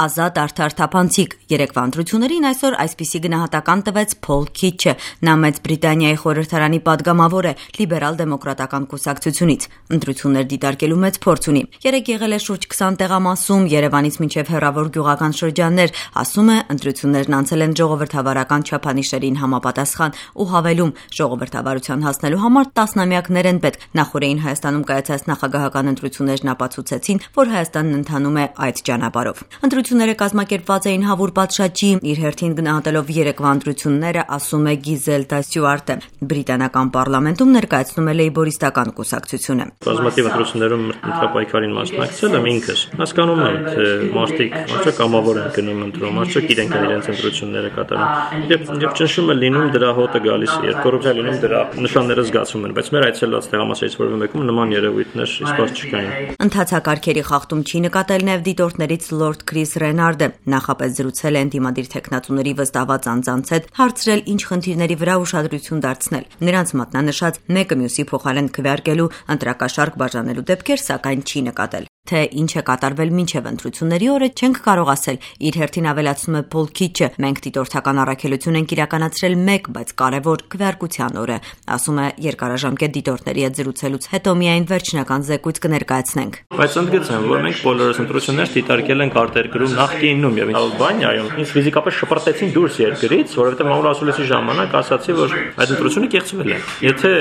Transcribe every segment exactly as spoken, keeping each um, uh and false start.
ազատ, արդար, թափանցիկ։ Երեկվա ընտրություններին այսօր այսպիսի գնահատական տվեց Փոլ Քիթչը։ Նա Մեծ Բրիտանիայի խորհրդարանի падգամավոր է լիբերալ-դեմոկրատական կուսակցությունից։ Ընտրություններ դիտարկելու մեծ փորձ ունի։ Երեկ եղել է շուրջ քսան տեղամասում, Երևանից մինչև հեռավոր գյուղական շրջաններ, ասում է, ընտրություններն անցել են ժողովրդավարական չափանիշերին համապատասխան ու հավելում, ժողովրդավարության հասնելու համար տասնամյակներ են պետք։ Նախորդին Հայաստանում կայացած նախագահական ընտրություններն ապացուցեցին, որ Հայաստանն ընթանում է այդ ճանապարհով։ Ընտրությունները կազմակերպված էին հավուր պատշաճի, իր հերթին գնահատելով երեկվա ընտրությունները, ասում է Գիզելդա Ստյուարտը։ Բրիտանական պարլամենտում ներկայացնում է լեյբորիստական կուսակցությունը։ Բազմաթիվ ընտրություններում ընտրապայքարին մասնակցել եմ ինքս։ Հասկանում եմ, թե մարդիկ արդյոք կամավոր են գնում ընտրում, արդյոք իրենք են իրենց ընտրությունները կատարում։ Եվ եւ ճնշումը լինում դրա հոտը գալիս է, երբ կոռուպցիա լինում դրա նշանները զգացվում են, բայց մեր այցելած տեղամասերից որևէ մեկում նման երևույթներ իսկապես չկային։ Ընթացակարգերի խախտում չի նկատել նաև դիտորդներից Լորդ Քրիս Ռենարդը։ Նախապես զրուցել է ընդդիմադիր թեկնածուների վստահված անձանց հետ, հարցրել ինչ խնդիրների վրա ուշադրություն դարձնել։ Նրանց մատնանշած մեկը մյուսի փոխարեն քվեարկելու ընտրակաշառք բաժանելու դեպքեր սակայն չի նկատել։ Թե ինչ է կատարվել մինչև ընտրությունների օրը չենք կարող ասել, իր հերթին ավելացնում է Փոլ Քիթչը։ Մենք դիտորդական առաքելություն ենք իրականացրել մեկ, բայց կարևոր քվեարկության օրը, ասում է երկարաժամկետ դիտորդների հետ զրուցելուց հետո միայն վերջնական զեկույց կներկայացնենք։ Բայց ընդգծեմ, որ մենք բոլորս ընտրություններ դիտարկել ենք արտերկրում նախկինում եւ Ալբանիայում։ Ինձ ֆիզիկապես շպրտեցին դուրս երկրից, որովհետեւ մամուլ ասուլիսի ժամանակ ասացի, որ այդ ընտրությունը կեղծվել է։ Եթե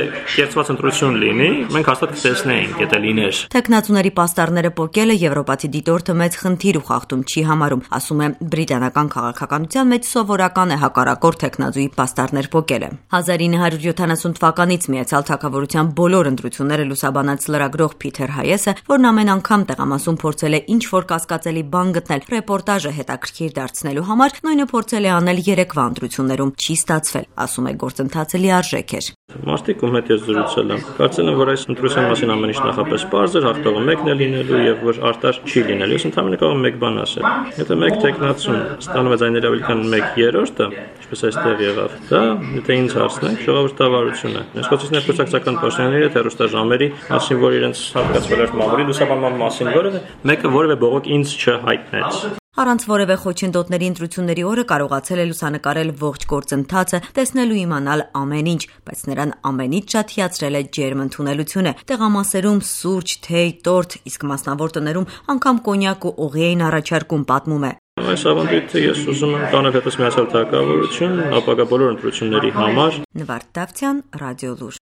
կեղծված ընտրություն լինի, մենք հաստատ կտեսնեինք, եթե լիներ։ Թեկնածուների պաստառները պոկելը եվրոպացի դիտորդը մեծ խնդիր ու խախտում չի համարում, ասում է բրիտանական քաղաքականության մեջ սովորական է հակառակորդ թեկնածուի պաստառներ պոկելը։ հազար ինը հարյուր յոթանասուն թվականից Միացյալ Թագավորության բոլոր ընտրությունները լուսաբանած լրագրող Փիթեր Հայեսը, որն ամեն անգամ տեղամասում փորձել է ինչ-որ կասկածելի բան գտնել ռեպորտաժը հետաքրքիր դարձնելու համար, նույնը փորձել է անել երեկվա ընտրություններում, չի ստացվել, ասում է գործընթացը լիարժեք էր։ Մարդիկ ում հետ ես զրուցել եմ, կարծել եմ, որ այս ընտրության մասին ամեն ինչ նախապես պարզ էր, հաղթողը մեկն է լինելու եւ որ արտար չի լինելու։ Ես ընդհանրապես կարող եմ մեկ բան ասել։ Եթե մեկ տեխնացուն ստանում է ձայների ավելի քան մեկ երրորդը, ինչպես այստեղ եղավ, դա եթե ինձ հարցնեք, ժողովրդավարություն է։ Նշկոցիչներ կուսակցական պաշտոնյաների հետ հեռուստաժամերի մասին, որ իրենց հատկացվել էր մամուլի լուսաբանման մասին, որը մեկը որևէ բողոք ինձ չհայտնեց։ Առանց որևէ խոչընդոտների ընտրությունների օրը կարողացել է լուսանկարել ողջ գործընթացը, տեսնել ու իմանալ ամեն ինչ, բայց նրան ամենից շատ հիացրել է ջերմ ընդունելությունը։ Տեղամասերում սուրճ, թեյ, տորթ, իսկ մասնավոր տներում անգամ կոնյակ ու օղի էին առաջարկում, պատմում է։ Այս ավանդույթը ես ուզում եմ տանել հետս Միացյալ Թագավորություն, ապագա բոլոր ընտրությունների համար։ Նվարդ Դավթյան, Ռադիոլուր։